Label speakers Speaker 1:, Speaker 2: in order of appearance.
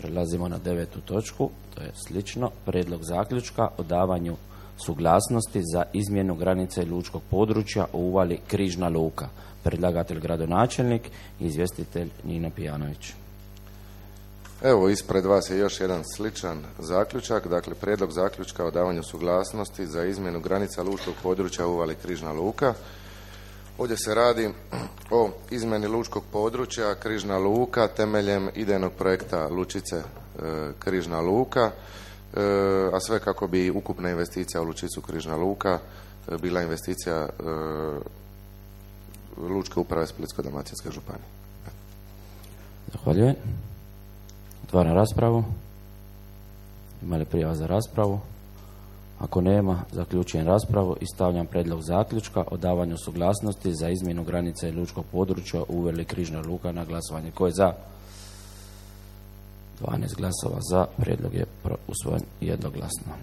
Speaker 1: Prelazimo na 9. točku, to je slično. Prijedlog zaključka o davanju suglasnosti za izmjenu granice lučkog područja u uvali Križna luka. Predlagatelj gradonačelnik i izvjestitelj Nino Pijanović.
Speaker 2: Evo, ispred vas je još jedan sličan zaključak, dakle prijedlog zaključka o davanju suglasnosti za izmjenu granica lučkog područja u uvali Križna luka. Ovdje se radi o izmjeni lučkog područja Križna luka temeljem idejnog projekta lučice Križna luka, a sve kako bi ukupna investicija u lučicu Križna luka bila investicija Lučke uprave Splitsko-dalmatinske županije.
Speaker 1: Zahvaljujem. Otvaram raspravu. Ima li prijava za raspravu? Ako nema, zaključujem raspravu i stavljam prijedlog zaključka o davanju suglasnosti za izmjenu granice lučkog područja u uvali Križna luka na glasovanje. Ko je za? 12 glasova za. Prijedlog je usvojen jednoglasno.